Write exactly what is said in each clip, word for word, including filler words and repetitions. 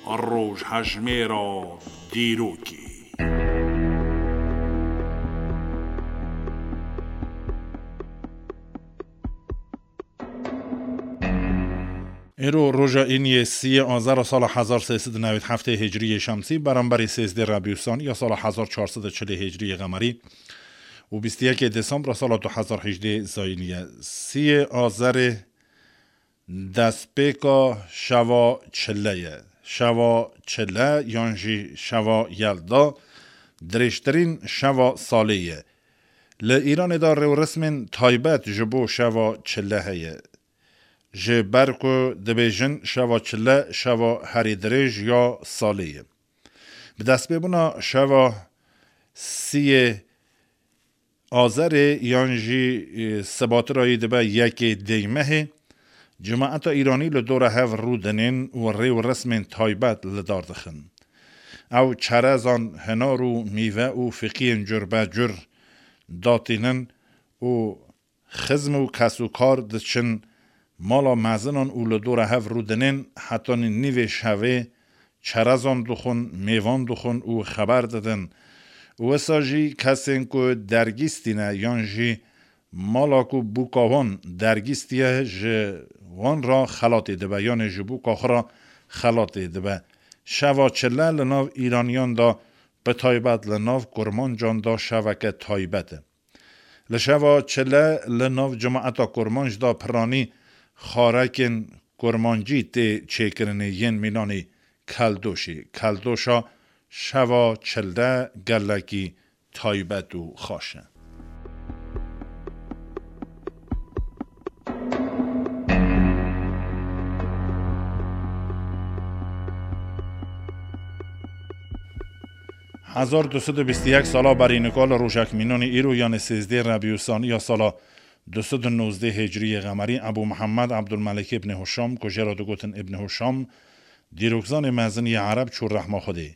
Rojhejmêra dîrokê. Îro roja îniyê siyê azara sala hezar sê sed û newî heftê hicriyê şemsî, beramberî sêzdê rebî û sanî ya sala hezar çar sed û çilê hicriyê qemerî û bîst û yekê desembra sala du hezar hejdê zayînî ye. Siyê azerê destpêka şeva çile ye. Şeva çile yan jî şeva yelda dirêjtirîn şeva salê ye. Li Îranê de rêwresmên taybet ji bo şeva çile heye. Ji ber ku dibêjin şeva çile şeva herî dirêj ya salê ye. Bi destpêbûna şeva siyê azerê yan jî, e, sibatirayî dibe yekê dêymehê, cemaeta Îranî li dora hev rûdinên û rêwresmên taybet li dar dixin. Ew çerezan hinar û mîve û fiqiyên curbecur datînin û xizm û kesûkar diçin mala mezinan û li dora hev rûdinên, hetanî nîvê şevê çerezan dixwin, mêvan dixwin û xeber didin. Û wisa jî kesên ku dergîstî ne yan jî mala ku bûka wan dergîstî ye, ji wan re xelatê dibe, yanê ji bûka xwe re xelatê dibe. Şeva çile li nav Îraniyan de, bi taybet li nav Kurmancan de şeveke taybet e. Li şeva çile li nav cemaeta Kurmanc de piranî xarekên kurmancî tê çêkirinê yên mînanê Keldoşê. Keldoşa şeva çile gelekî taybet û xweş e. Hezar du sed û bîst û yek sala berî nika li rojek mînanê îro, yanê sêzdê rebî û sanî ya sala du sed û nozdeh hicriyê qemerî, Ebû Mihemed Ebdulmelik îbnê Hişam, ku jê re digotin Îbnê Hişam, dîrokzanê mezin yê Ereb, çû rehma Xwedê.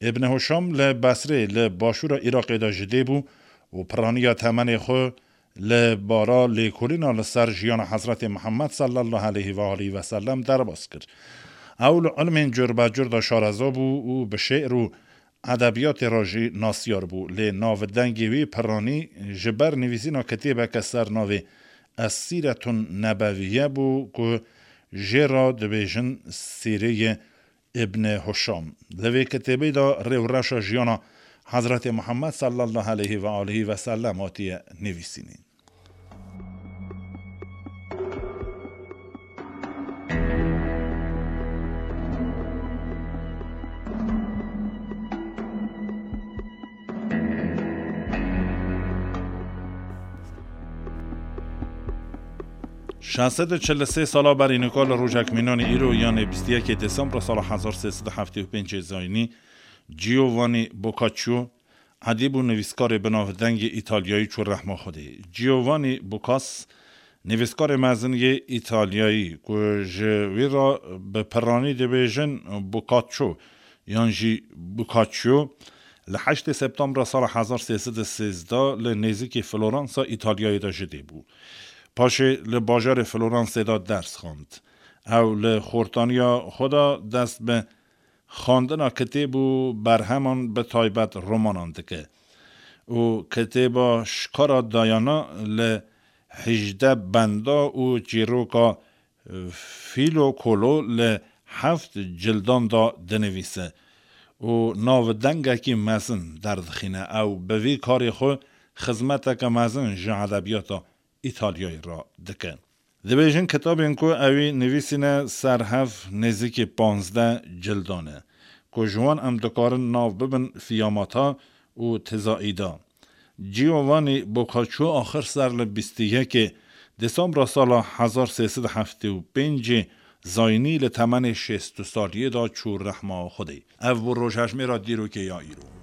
Îbnê Hişam li Besrê, li başûra Iraqê de ji dê bû û piraniya temenê xwe li bara lêkolîna li ser jiyana Hezretê Mihemed sallallahu aleyhi ve aleyhi ve sellem derbas kir. Ew li ilmên curbecur de şareza bû û bi şê'r û edebiyatê re jî nasiyar bû. Lê navdengê wî piranî ji ber nivîsîna kitêbeke ser navê Es-Sîretun Nebeviye bû ku jê re dibêjin Sîreyê Îbnê Hişam. Li vê kitêbê de rêwreşa jiyana Hezretê Muhammed sallallahu aleyhi ve aleyhi ve sellem hatiye nivîsînîn. Şeş sed û çil û sê sala berî nika li rojek mînanê îro, yanê bîst û yekê Desembra sala hezar sê sed û heftê û pêncê zayînî, Giovanni Boccaccio, edîb û nivîskarê binavdeng yê Îtalyayî çû rehma Xwedê. Giovanni Boccas, nivîskarê mezin yê Îtalyayî ku ji wî re bi piranî dibêjin Boccaccio yan jî Boccaccio, li heştê Septembra sala hezar sê sed û sêzdeh li nêzîkî Floransa Îtalyayê de ji dê bû. Paşê li bajarê Floransê de ders xwend. Ew li xortaniya xwe de dest bi xwendina kitêb û berheman, bi taybet romanan dike û kitêba Şikara Dayana li hejdeh benda û çîroka Fîlo Kolo li heft cildan de dinivîse û navdengekî mezin derdixîne. Ew bi vî karê xwe xizmeteke mezin ji edebiyata Îtalyayê re dike. Dibêjin kitabên ku ewî nivîsîne ser hev nêzîkî panzdeh cildan e, ku ji wan em dikarin nav bibin Fiyamata û Tizaîda. Giovanni Boccaccio axir ser li bîst û yekê Desembra sala hezar sê sed û heftê û pêncê zayînî li temenê şêst û saliyê de çû rehma Xwedê. Ev bû rojhejmêra dîrokê ya îro.